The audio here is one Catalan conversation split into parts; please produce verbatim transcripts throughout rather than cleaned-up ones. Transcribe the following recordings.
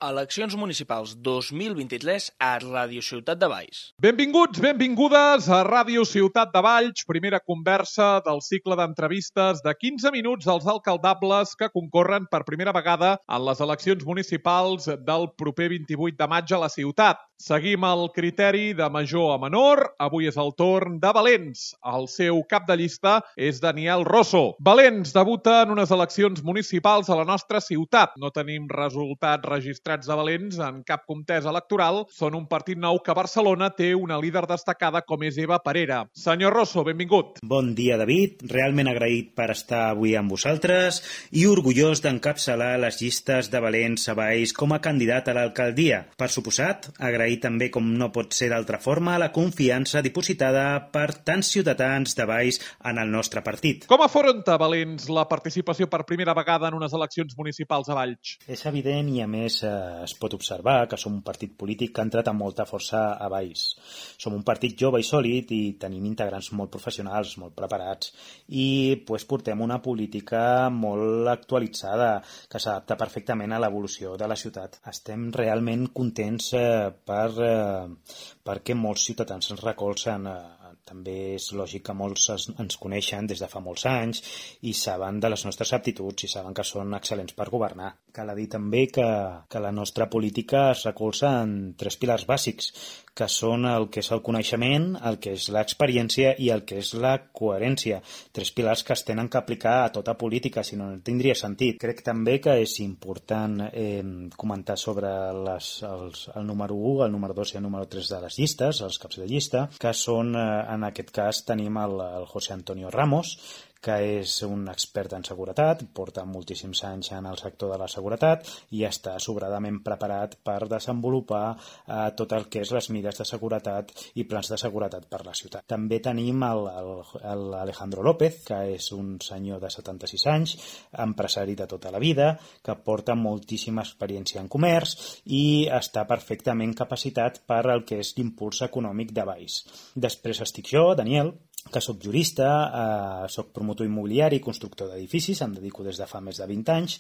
Eleccions municipals dos mil vint-i-tres a Ràdio Ciutat de Valls. Benvinguts, benvingudes a Ràdio Ciutat de Valls, primera conversa del cicle d'entrevistes de quinze minuts als alcaldables que concorren per primera vegada en les eleccions municipals del proper vint-i-vuit de maig a la ciutat. Seguim el criteri de major a menor. Avui és el torn de Valens. El seu cap de llista és Daniel Rosso. Valens debuta en unes eleccions municipals a la nostra ciutat. No tenim resultats registrats de Valens en cap contesa electoral. Són un partit nou que a Barcelona té una líder destacada com és Eva Parera. Senyor Rosso, benvingut. Bon dia, David. Realment agraït per estar avui amb vosaltres i orgullós d'encapçalar les llistes de Valens a Valls com a candidat a l'alcaldia. Per suposat, agraït també, com no pot ser d'altra forma, la confiança dipositada per tants ciutadans de Valls en el nostre partit. Com afronta Valens la participació per primera vegada en unes eleccions municipals a Valls? És evident i, a més, eh, es pot observar que som un partit polític que ha entrat amb molta força a Valls. Som un partit jove i sòlid i tenim integrants molt professionals, molt preparats i pues, portem una política molt actualitzada que s'adapta perfectament a l'evolució de la ciutat. Estem realment contents eh, per, eh, perquè molts ciutadans ens recolzen. Eh, també és lògic que molts ens coneixen des de fa molts anys i saben de les nostres aptituds i saben que són excel·lents per governar. Cal dir també que, que la nostra política es recolza en tres pilars bàsics, que són el que és el coneixement, el que és l'experiència i el que és la coherència. Tres pilars que es tenen que aplicar a tota política, si no, no tindria sentit. Crec també que és important eh, comentar sobre les, els, el número u, el número dos i el número tres de les llistes, els caps de llista, que són, eh, en aquest cas, tenim el, el José Antonio Ramos, que és un expert en seguretat, porta moltíssims anys en el sector de la seguretat i està sobradament preparat per desenvolupar eh, tot el que és les mesures de seguretat i plans de seguretat per la ciutat. També tenim el, el, el Alejandro López, que és un senyor de setanta-sis anys, empresari de tota la vida, que porta moltíssima experiència en comerç i està perfectament capacitat per al que és l'impuls econòmic de Valls. Després estic jo, Daniel, que soc jurista, eh, soc promotor immobiliari i constructor d'edificis, em dedico des de fa més de vint anys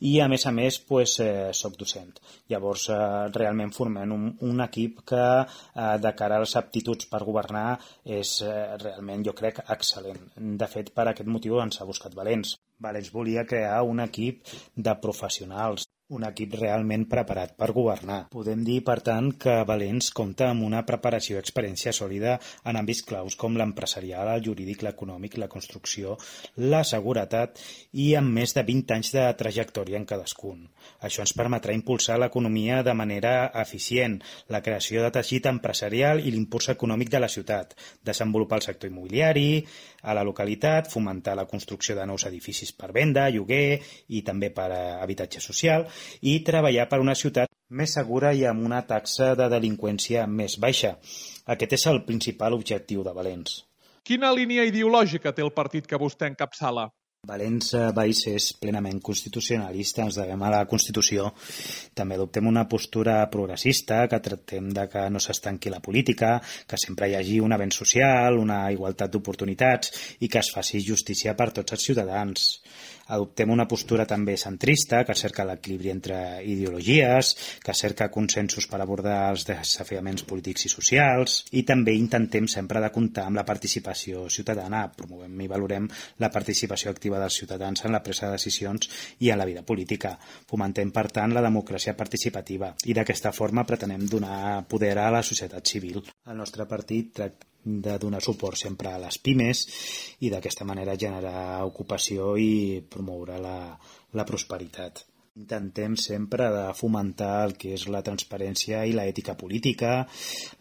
i a més a més pues, eh, soc docent. Llavors eh, realment formem un, un equip que eh, de cara a les aptituds per governar és eh, realment jo crec excel·lent. De fet, per aquest motiu ens ha buscat Valens. Valens volia crear un equip de professionals, un equip realment preparat per governar. Podem dir, per tant, que Valens compta amb una preparació i experiència sòlida en àmbits claus com l'empresarial, el jurídic, l'econòmic, la construcció, la seguretat i amb més de vint anys de trajectòria en cadascun. Això ens permetrà impulsar l'economia de manera eficient, la creació de teixit empresarial i l'impuls econòmic de la ciutat, desenvolupar el sector immobiliari a la localitat, fomentar la construcció de nous edificis per venda, lloguer i també per a habitatge social, i treballar per una ciutat més segura i amb una taxa de delinqüència més baixa. Aquest és el principal objectiu de Valens. Quina línia ideològica té el partit que vostè encapçala? Valens Valls és plenament constitucionalista, ens devem a la Constitució. També adoptem una postura progressista, que tractem de que no s'estanqui la política, que sempre hi hagi un avenç social, una igualtat d'oportunitats i que es faci justícia per tots els ciutadans. Adoptem una postura també centrista, que cerca l'equilibri entre ideologies, que cerca consensos per abordar els desafiaments polítics i socials, i també intentem sempre de comptar amb la participació ciutadana. Promovem i valorem la participació activa dels ciutadans en la presa de decisions i en la vida política. Fomentem, per tant, la democràcia participativa i d'aquesta forma pretenem donar poder a la societat civil. El nostre partit tracta de donar suport sempre a les pimes i d'aquesta manera generar ocupació i promoure la, la prosperitat. Intentem sempre de fomentar el que és la transparència i l'ètica política,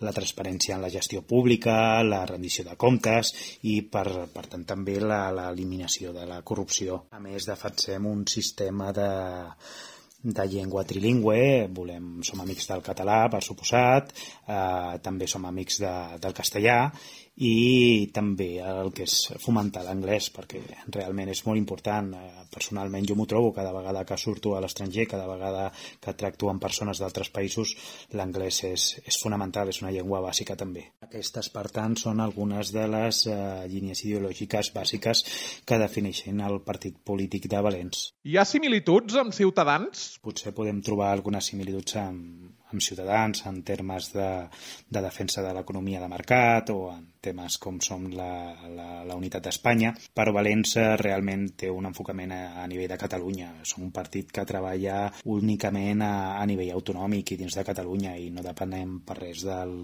la transparència en la gestió pública, la rendició de comptes i, per, per tant, també l'eliminació de la corrupció. A més, defensem un sistema de de llengua trilingüe, volem, som amics del català, per suposat, eh, també som amics de, del castellà i també el que és fomentar l'anglès, perquè realment és molt important. Personalment jo m'ho trobo cada vegada que surto a l'estranger, cada vegada que tracto amb persones d'altres països, l'anglès és, és fonamental, és una llengua bàsica també. Aquestes, per tant, són algunes de les eh, línies ideològiques bàsiques que defineixen el partit polític de Valens. Hi ha similituds amb Ciutadans? Potser podem trobar algunes similituds amb, amb Ciutadans en termes de, de defensa de l'economia de mercat o en temes com som la, la, la unitat d'Espanya, però Valens realment té un enfocament a, a nivell de Catalunya. Som un partit que treballa únicament a, a nivell autonòmic i dins de Catalunya i no depenem per res del,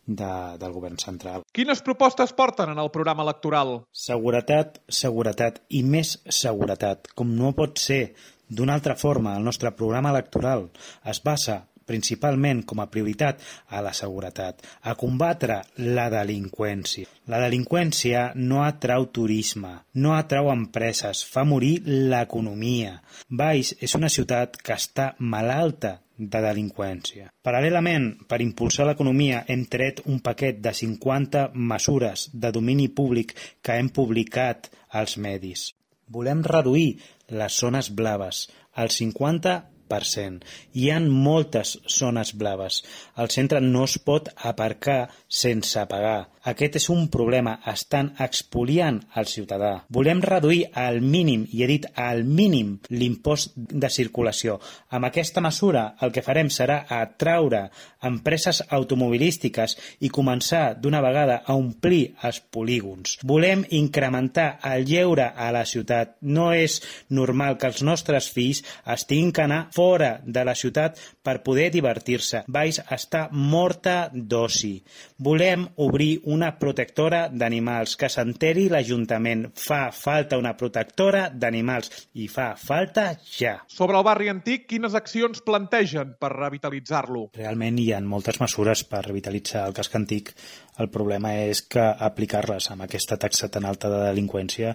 de, del govern central. Quines propostes porten en el programa electoral? Seguretat, seguretat i més seguretat. Com no pot ser d'una altra forma, el nostre programa electoral es basa principalment com a prioritat a la seguretat, a combatre la delinqüència. La delinqüència no atrau turisme, no atrau empreses, fa morir l'economia. Valls és una ciutat que està malalta de delinqüència. Paral·lelament, per impulsar l'economia, hem tret un paquet de cinquanta mesures de domini públic que hem publicat als medis. Volem reduir les zones blaves al cinquanta per cent. Hi ha moltes zones blaves. Al centre no es pot aparcar sense pagar. Aquest és un problema. Estan expoliant el ciutadà. Volem reduir al mínim, i he dit al mínim, l'impost de circulació. Amb aquesta mesura el que farem serà atraure empreses automobilístiques i començar d'una vegada a omplir els polígons. Volem incrementar el lleure a la ciutat. No és normal que els nostres fills estiguin que anar fora de la ciutat per poder divertir-se. Valls està morta d'oci. Volem obrir una protectora d'animals, que s'enteri l'Ajuntament. Fa falta una protectora d'animals i fa falta ja. Sobre el barri antic, quines accions plantegen per revitalitzar-lo? Realment hi ha moltes mesures per revitalitzar el casc antic. El problema és que aplicar-les amb aquesta taxa tan alta de delinqüència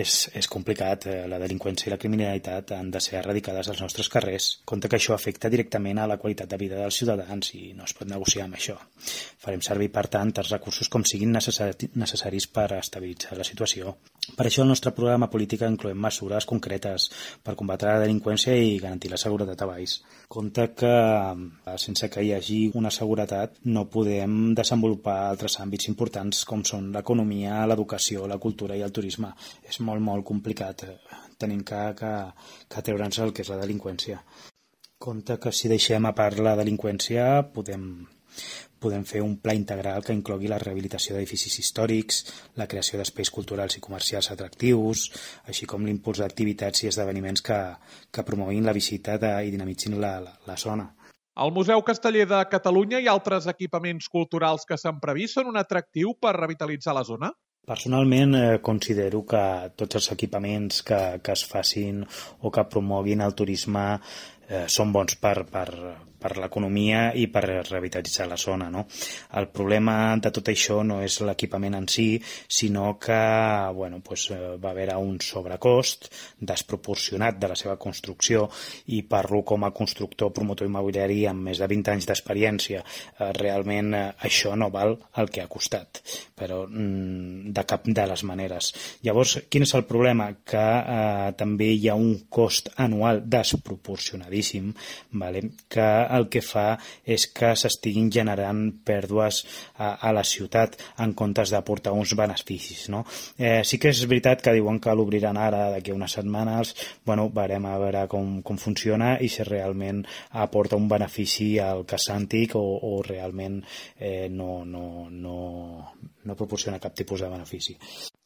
és, és complicat. La delinqüència i la criminalitat han de ser erradicades als nostres carrers. Compte que això afecta directament a la qualitat de vida dels ciutadans i no es pot negociar amb això. Farem servir, per tant, els recursos com siguin necessaris per estabilitzar la situació. Per això el nostre programa polític incloem mesures concretes per combatre la delinqüència i garantir la seguretat a Valls. Compte que sense que hi hagi una seguretat no podem desenvolupar altres àmbits importants com són l'economia, l'educació, la cultura i el turisme. És molt, molt complicat tenint que, que, que treure'ns el que és la delinqüència. Compte que si deixem a part la delinqüència podem, podem fer un pla integral que inclogui la rehabilitació d'edificis històrics, la creació d'espais culturals i comercials atractius, així com l'impuls d'activitats i esdeveniments que, que promoguin la visita de, i dinamitzin la, la, la zona. El Museu Casteller de Catalunya i altres equipaments culturals que s'han previst són un atractiu per revitalitzar la zona? Personalment eh, considero que tots els equipaments que, que es facin o que promoguin el turisme eh, són bons per, per, per l'economia i per revitalitzar la zona, no? El problema de tot això no és l'equipament en si, sinó que bueno, pues, va haver un sobrecost desproporcionat de la seva construcció i parlo com a constructor promotor immobiliari amb més de vint anys d'experiència. Eh, realment eh, això no val el que ha costat, però mm, de cap de les maneres. Llavors, quin és el problema? Que eh, també hi ha un cost anual desproporcionadíssim, vale? Que el que fa és que s'estiguin generant pèrdues a, a la ciutat en comptes d'aportar uns beneficis, no? Eh, sí que és veritat que diuen que l'obriran ara d'aquí a unes setmanes. Bueno, veurem a veure com, com funciona i si realment aporta un benefici al casc antic o, o realment eh, no, no, no, no proporciona cap tipus de benefici.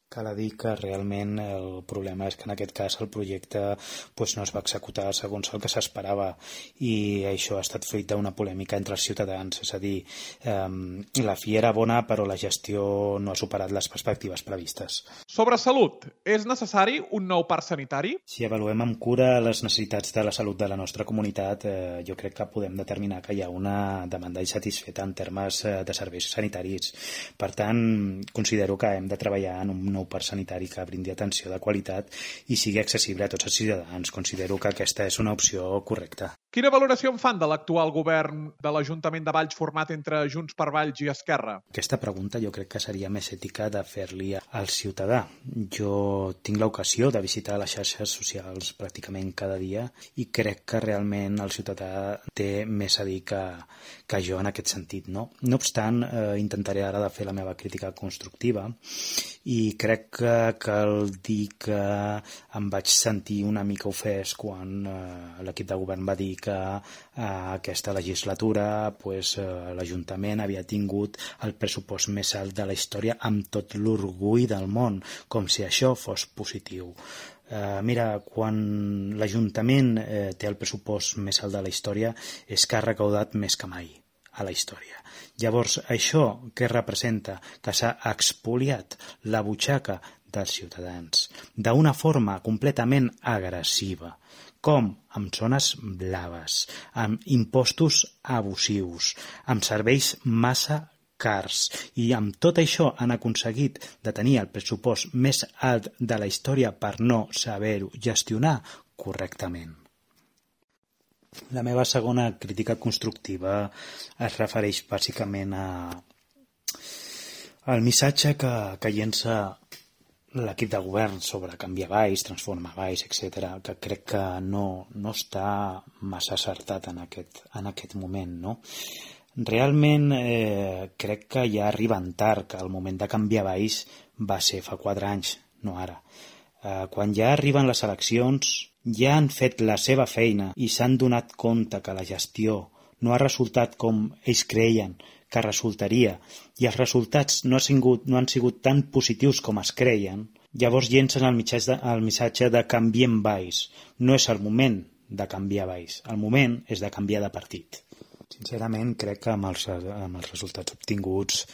Cal dir que realment el problema és que en aquest cas el projecte pues, no es va executar segons el que s'esperava i això ha estat fruit d'una polèmica entre els ciutadans, és a dir, eh, la fi era bona però la gestió no ha superat les perspectives previstes. Sobre salut, és necessari un nou parc sanitari? Si avaluem amb cura les necessitats de la salut de la nostra comunitat, eh, jo crec que podem determinar que hi ha una demanda insatisfeta en termes de serveis sanitaris. Per tant, considero que hem de treballar en un nou parc sanitari que brindi atenció de qualitat i sigui accessible a tots els ciutadans. Considero que aquesta és una opció correcta. Quina valoració en fan de l'actual govern de l'Ajuntament de Valls format entre Junts per Valls i Esquerra? Aquesta pregunta jo crec que seria més ètica de fer-li al ciutadà. Jo tinc l'ocasió de visitar les xarxes socials pràcticament cada dia i crec que realment el ciutadà té més a dir que, que jo en aquest sentit. No, no obstant, eh, intentaré ara de fer la meva crítica constructiva i crec que cal dir que em vaig sentir una mica ofès quan eh, l'equip de govern va dir que eh, aquesta legislatura pues, eh, l'Ajuntament havia tingut el pressupost més alt de la història amb tot l'orgull del món, com si això fos positiu. Eh, mira, quan l'Ajuntament eh, té el pressupost més alt de la història és que ha recaudat més que mai a la història. Llavors, això què representa? Que s'ha expoliat la butxaca dels ciutadans d'una forma completament agressiva, com amb zones blaves, amb impostos abusius, amb serveis massa cars, i amb tot això han aconseguit de tenir el pressupost més alt de la història per no saber-ho gestionar correctament. La meva segona crítica constructiva es refereix bàsicament a al missatge que, que llença l'equip de govern sobre canviar Valls, transformar Valls, etcètera, que crec que no, no està massa acertat en aquest, en aquest moment, no? Realment eh, crec que ja arriben tard, que el moment de canviar Valls va ser fa quatre anys, no ara. Eh, quan ja arriben les eleccions, ja han fet la seva feina i s'han donat compte que la gestió no ha resultat com ells creien que resultaria, i els resultats no, ha sigut, no han sigut tan positius com es creien, llavors llencen el missatge, el missatge de canviem Valls. No és el moment de canviar Valls, el moment és de canviar de partit. Sincerament, crec que amb els, amb els resultats obtinguts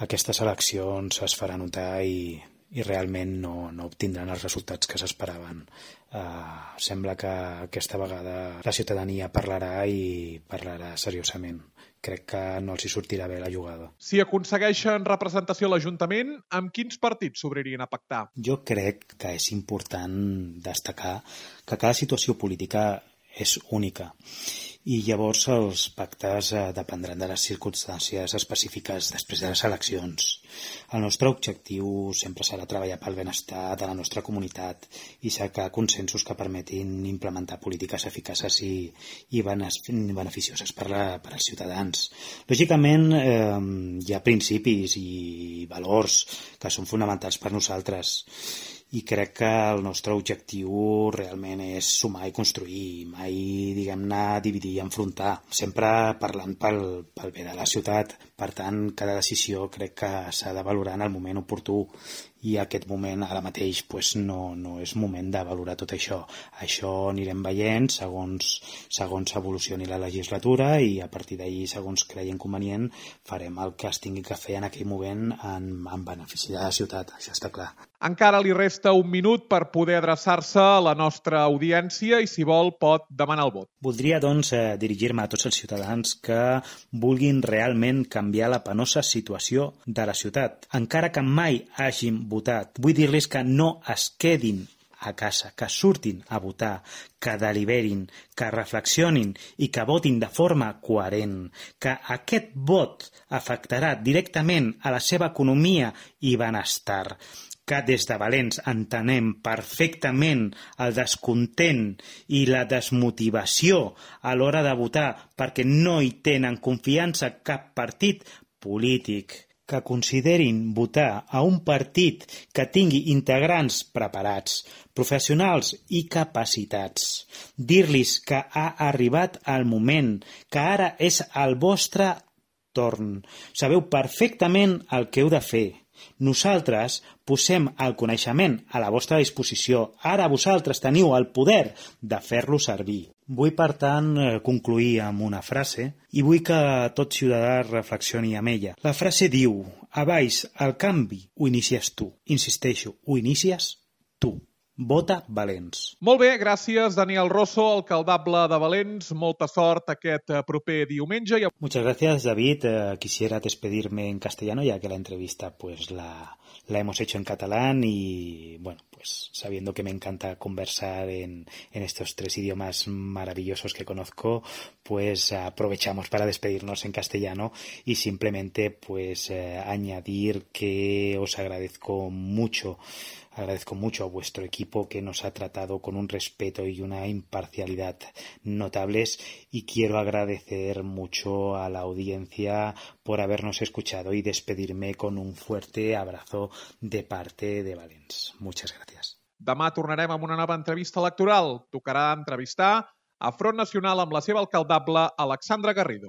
aquestes eleccions es farà notar i, i realment no, no obtindran els resultats que s'esperaven. Uh, sembla que aquesta vegada la ciutadania parlarà i parlarà seriosament. Crec que no els hi sortirà bé la jugada. Si aconsegueixen representació a l'Ajuntament, amb quins partits s'obririen a pactar? Jo crec que és important destacar que cada situació política és única i llavors els pactes eh, dependran de les circumstàncies específiques després de les eleccions. El nostre objectiu sempre serà treballar pel benestar de la nostra comunitat i cercar consensos que permetin implementar polítiques eficaces i, i beneficioses per, la, per als ciutadans. Lògicament, eh, hi ha principis i valors que són fonamentals per nosaltres i crec que el nostre objectiu realment és sumar i construir, mai, diguem-ne, dividir i enfrontar, sempre parlant pel, pel bé de la ciutat. Per tant, cada decisió crec que s'ha de valorar en el moment oportú i aquest moment ara mateix pues, no, no és moment de valorar tot això. Això anirem veient segons, segons evolucioni la legislatura i a partir d'ahir, segons creiem convenient, farem el que es tingui que fer en aquell moment en, en benefici de la ciutat, això està clar. Encara li resta un minut per poder adreçar-se a la nostra audiència i, si vol, pot demanar el vot. Voldria, doncs, eh, dirigir-me a tots els ciutadans que vulguin realment canviar la penosa situació de la ciutat. Encara que mai hagin votat, vull dir-los que no es quedin a casa, que surtin a votar, que deliberin, que reflexionin i que votin de forma coherent, que aquest vot afectarà directament a la seva economia i benestar, que des de Valents entenem perfectament el descontent i la desmotivació a l'hora de votar perquè no hi tenen confiança cap partit polític, que considerin votar a un partit que tingui integrants preparats, professionals i capacitats. Dir-los que ha arribat el moment, que ara és el vostre torn. Sabeu perfectament el que heu de fer. Nosaltres posem el coneixement a la vostra disposició. Ara vosaltres teniu el poder de fer-lo servir. Vull, per tant, concluir amb una frase i vull que tot ciutadà reflexioni amb ella. La frase diu: a Valls el canvi ho inicies tu. Insisteixo, ho inicies tu. Vota Valents. Molt bé, gràcies Daniel Rosso, alcaldable de Valents. Molta sort aquest proper diumenge. Muchas gracias, David. Eh, quisiera despedirme en castellano, ya que la entrevista pues la, la hemos hecho en catalán y, bueno, pues sabiendo que me encanta conversar en, en estos tres idiomas maravillosos que conozco, pues aprovechamos para despedirnos en castellano y simplemente pues eh, añadir que os agradezco mucho Agradezco mucho a vuestro equipo que nos ha tratado con un respeto y una imparcialidad notables y quiero agradecer mucho a la audiencia por habernos escuchado y despedirme con un fuerte abrazo de parte de Valens. Muchas gracias. Demà tornarem amb una nova entrevista electoral. Tocarà entrevistar a Front Nacional amb la seva alcaldable Alexandra Garrido.